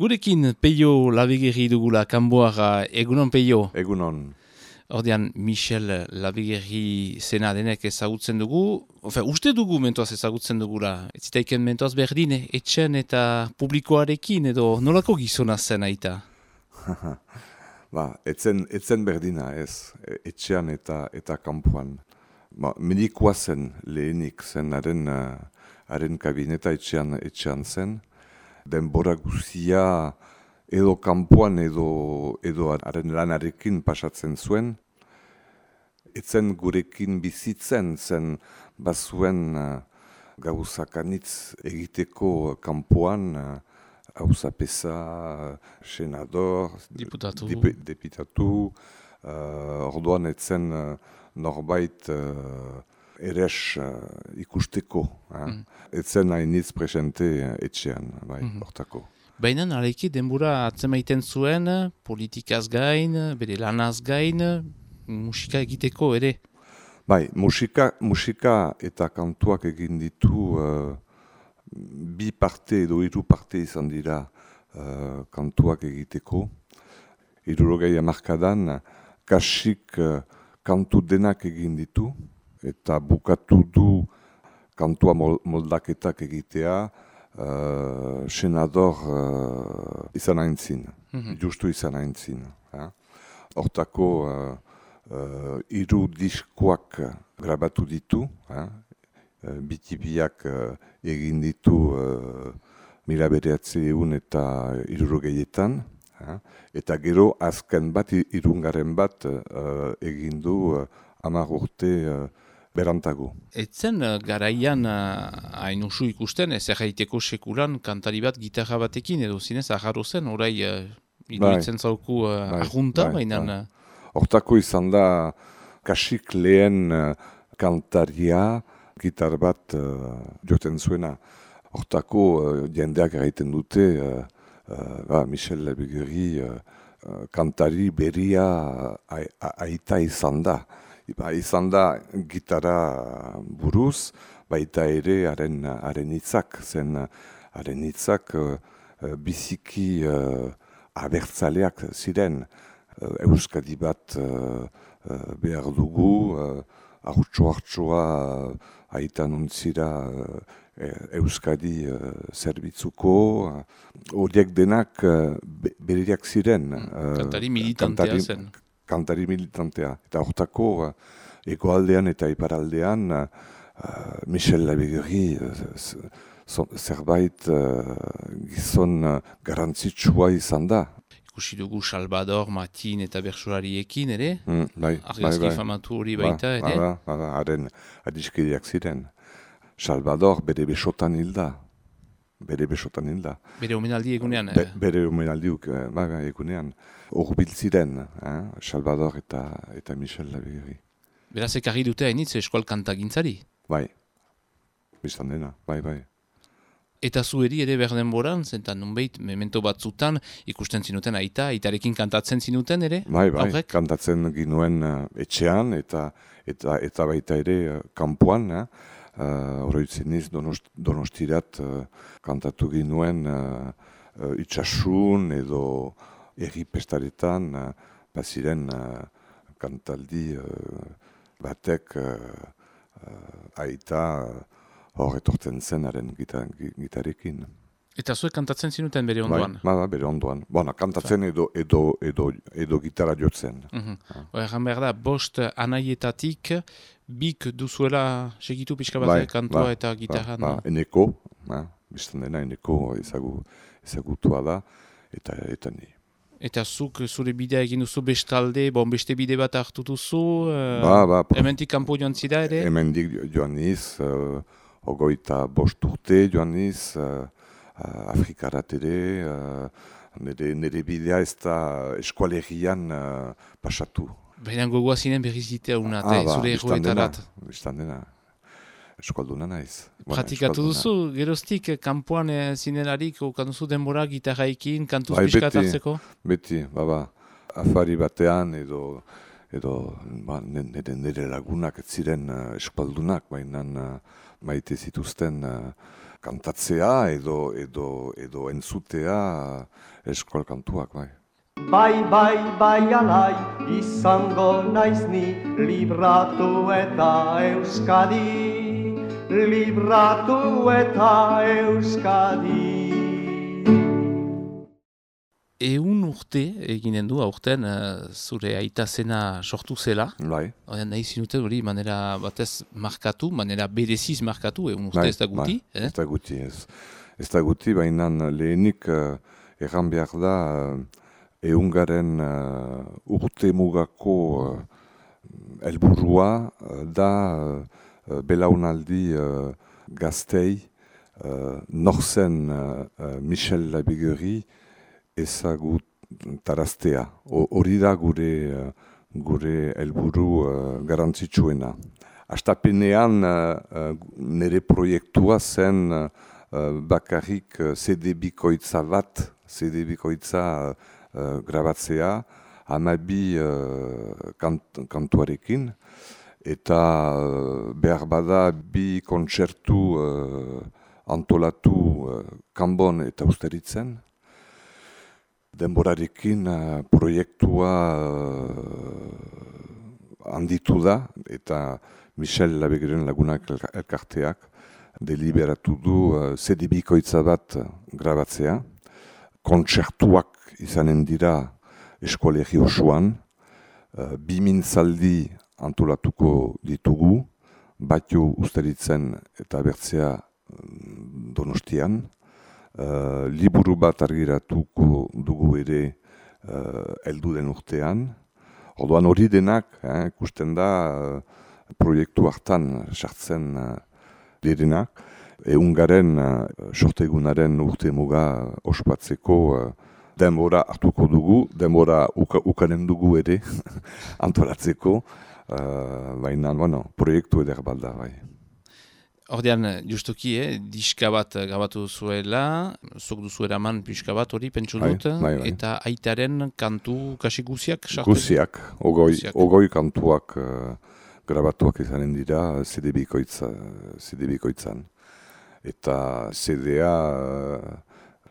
Gurekin Peio Labigeri dugula kanboara, egunon Peio? Egunon. Ordean Michel Labigeri zena denek ezagutzen dugu, uste dugu mentoaz ezagutzen dugula, ez zitaiken mentoaz berdin, etxen eta publikoarekin edo nolako gizona zen aita? Etzen berdina ez, etxean eta kanpoan. Medikoa zen lehenik zen haren kabineta etxean zen. Denbora guzia edo kanpoan edo haren lanarekin pasatzen zuen. Etzen gurekin bizitzen zen bazuen gauzakanitz egiteko kanpoan, hauzapeza, senador, deputatu, orduan etzen norbait eres ikusteko. Etzen hainitz presente etxean, hortako. Baina naraiki denbora atzemaiten zuen, politikaz gain, bere lanaz gain, musika egiteko ere? Bai, musika eta kantuak egin ditu bi parte edo hiru parte izan dira kantuak egiteko. 60 hamarkadan kasik kantu denak egin ditu eta bukatu du kantua moldaketak egitea senador izan aintzin, justu izan aintzin. Hortako hiru diskoak grabatu ditu, bitibiak egin ditu 1960 eta 60etan, eta gero azken bat, irungaren bat egin du 10 urte berantago. Etzen garaian hain usu ikusten, ez erraiteko sekulan kantari bat gitarra batekin edo zinez agarro zen, orai iduritzen zauku argunta, baina... Hortako izan da kasik lehen kantaria gitar bat joten zuena. Hortako jendeak erraiten dute Michel Labigeri kantari beria aita izan da. Izan da gitarra buruz, baita ere haren hitzak zen haren hitzak biziki abertzaleak ziren. Euskadi bat behar dugu, hartxoa aita nuntzira Euskadi zerbitzuko, horiek denak berriak ziren. Kantari militantea zen. Kantari militantea. Eta hortako, egoaldean eta iparaldean, Michel Labigeri zerbait gizon garantzitsua izan da. Ikusi dugu Salvador, Matin eta Bertsolariekin ere? Bai. Argazki famatu hori baita ere? Haren adiskideak ziren. Salvador bere besotan hilda. Bere omenaldi egunean? Bere omenaldi egunean. Horbil ziren, Salvador eta Michel Labigeri. Beraz ekarri dute hainitz eskual kantagintzari? Bai, biztan dena, bai. Eta zueri ere berdenboran, zentan nunbait, memento batzutan, ikusten zinuten aitarekin kantatzen zinuten ere? Bai, kantatzen ginuen etxean eta baita ere kanpoan. Oroitzen iz Donostirat kantatu ginuen itxasun edo erri pestaretan, baziren kantaldi batek aita hor etortzen zen haren gitarekin. Eta zuek kantatzen zinuten bere ondoan? Bai, bere ondoan. Kantatzen edo gitarra jotzen. Egan behar da, bost anaietatik, bik duzuela segitu pixka bat kantua eta gitarra? Eneko, biztan dena eneko ezagutua da, eta ni. Eta zuk zure bidea egin duzu bestalde, beste bide bat hartu duzu, hemendik kanpo joan zida ere? Hemendik joan niz, 25 urte joan niz, Afrikarat ere, nire bidea ez da eskualerian pasatu. Baina gogoa zinen berrizitea unat, zure erroetarat. Biztan dena, eskualduna naiz. Pratikatu duzu, geroztik kanpoan zinelarik, kanduzu denbora gitarraikin, kantuz pixkat hartzeko? Beti, afari batean edo nire lagunak ez ziren eskualdunak, baina maite zituzten kantatzea edo entzutea eskol kantuak, bai. Bai, alai, izango naiz ni, libratu eta Euskadi, libratu eta Euskadi. 100 urte eginen du, aurten zure aita zena sortu zela. Bai. Oian nahi zinuten hori manera batez markatu, manera bereziz markatu, 100 urte ez da guti. Bai, ez da guti, ez. Ez da guti, baina lehenik erran behar da ehungaren urte mugako helburua da belaunaldi gaztei norzen Michel Labigueri ezagutaraztea. Hori da gure helburu garantzitsuena. Astapenean nire proiektua zen bakarrik CD bikoitza grabatzea, 12 kantuarekin, eta behar bada 2 kontzertu antolatu Kanbon eta Ustaritzen. Denborarekin proiektua handitu da, eta Michel Labigueren Lagunak elkarteak deliberatu du CD bikoitza bat grabatzea. Kontzertuak izanen dira eskolegi osoan, 2 mintzaldi antolatuko ditugu, Batio Ustaritzen eta Bertzea Donostian. Liburu bat argiratuko dugu ere heldu den urtean. Orduan hori denak, ikusten da proiektu hartan sartzen direnak. Ehungaren sortegunaren urte muga ospatzeko denbora hartuko dugu, denbora ukanen dugu ere antolatzeko, baina proiektu eder bat da, bai. Ordean, justuki, diska bat grabatu zuela, zuk duzu eraman pixka bat hori, pentsu dut, bai. eta aitaren kantu kasi guziak sartu? Guziak, ogoi kantuak grabatuak izanen dira CD bikoitzan. Eta CD-a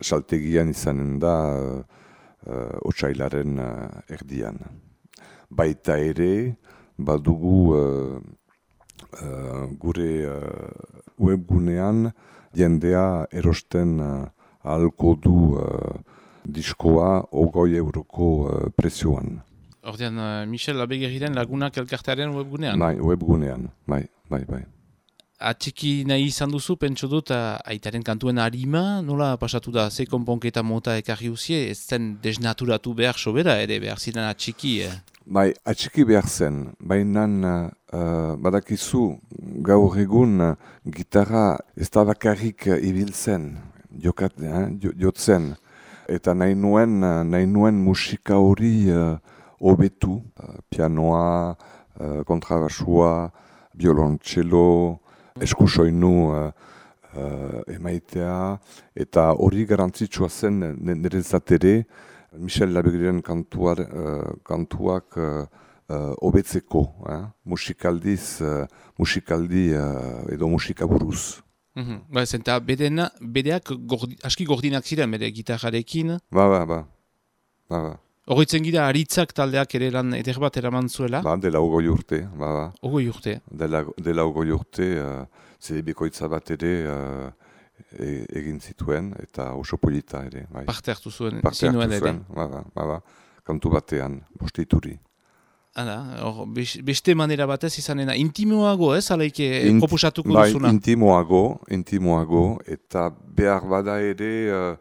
saltegian izanen da otsailaren erdian. Baita ere, badugu gure webgunean jendea erosten ahalko du diskoa 20 euroko prezioan. Ordean, Michel Labigueriren Lagunak elkartearen webgunean? Bai, webgunean, bai. Atxiki nahi izan duzu, pentsu dut, aitaren kantuen harima, nola pasatu da, ze konponketa mota ekarri uzie, ez zen desnaturatu behar sobera, ere behar ziren atxiki. Bai, atxiki behar zen, baina badakizu gaur egun gitarra ez da bakarrik ibiltzen, jotzen, eta nahi nuen musika hori hobetu, pianoa, kontrabasua, violoncelo, eskusoinu emaitea, eta hori garantzitsua zen niretzat ere, Michel Labigueren kantuak hobetzeko, musikaldi edo musikaburuz. Ba, zenta bedeak aski gordinak ziren, bere gitarrarekin. Ba. Horritzen gira, aritzak taldeak ere lan eder bat eraman zuela? Ba, dela 20 urte, ba. 20 urte? Dela 20 urte, CD bikoitza bat ere egin zituen, eta oso polita ere. Bai. Parte hartu zuen, zinuen ere? Ba, kantu batean, bosteituri. Hala, beste manera batez izanena, intimoago ez, alaike proposatuko duzuna? Bai, intimoago, eta behar bada ere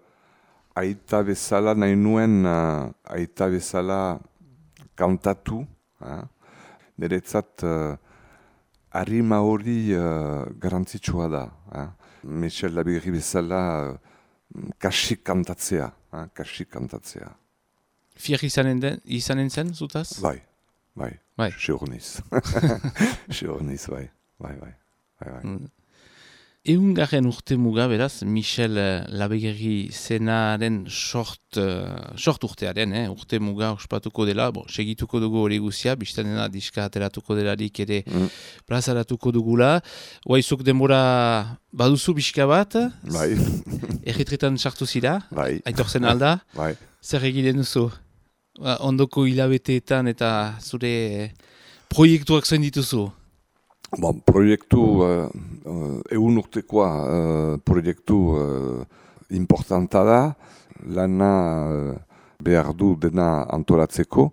aita bezala nahi nuen, aita bezala kantatu, niretzat harima hori garantzitsua da. Michel Labigueri bezala kasik kantatzea. Fier izanen zen, zutaz? Bai. Seurniz. Bai. Eungarren urte muga, beraz, Michel Labegerri zenaren sort urtearen, urte muga ospatuko dela, segituko dugu hori guzia, biztan dena diska ateratuko delarik ere plazaratuko dugula. Oaizuk denbora baduzu bizka bat, Bai. Erretretan sartu zira, Bai. aitortzen alda, Bai. zer egiten duzu? Ondoko hilabeteetan eta zure proiektuak zain dituzu? Bon, proiektu, egun urtekoa proiektu importanta da, lana behar du dena antolatzeko.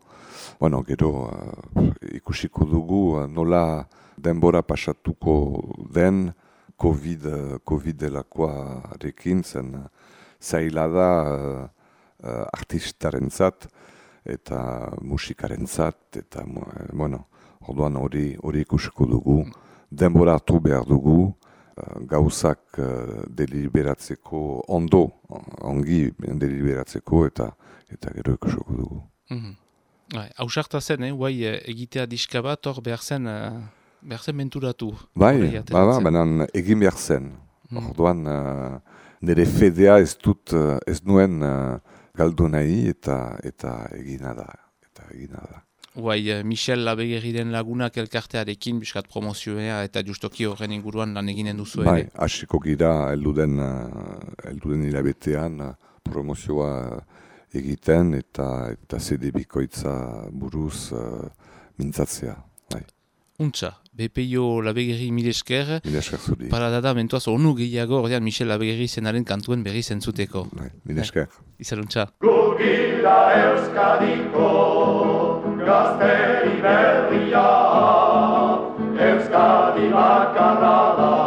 Bueno, gero ikusiko dugu nola denbora pasatuko den COVID-delakoarekin zen zaila da artistarentzat eta musikarentzat eta bueno, orduan hori ikusiko dugu, denbora hartu behar dugu, gauzak deliberatzeko, ongi deliberatzeko eta gero ikusiko dugu. Hausarta zen, guai egitea diska bat, hor behar zen menturatu. Bai, baina egin behar zen. Orduan nire fedea ez nuen galdu nahi eta egina da. Guai, Michel Labegerriren lagunak elkartearekin biskat promozioa eta justoki horren inguruan lan eginen duzu ere. Bai, hasiko gira elduden hilabetean promozioa egiten eta CD bikoitza buruz mintzatzea. Bai. Untza, BPIO Labegerri mil esker. Mil esker zuri. Paradada mentuaz onu gehiago ordean Michel Labegerri zenaren kantuen berri zentzuteko. Bai, mil esker. Izaruntza. Gugilda Euskadiko gazteri berria, Euskadi bakarra da.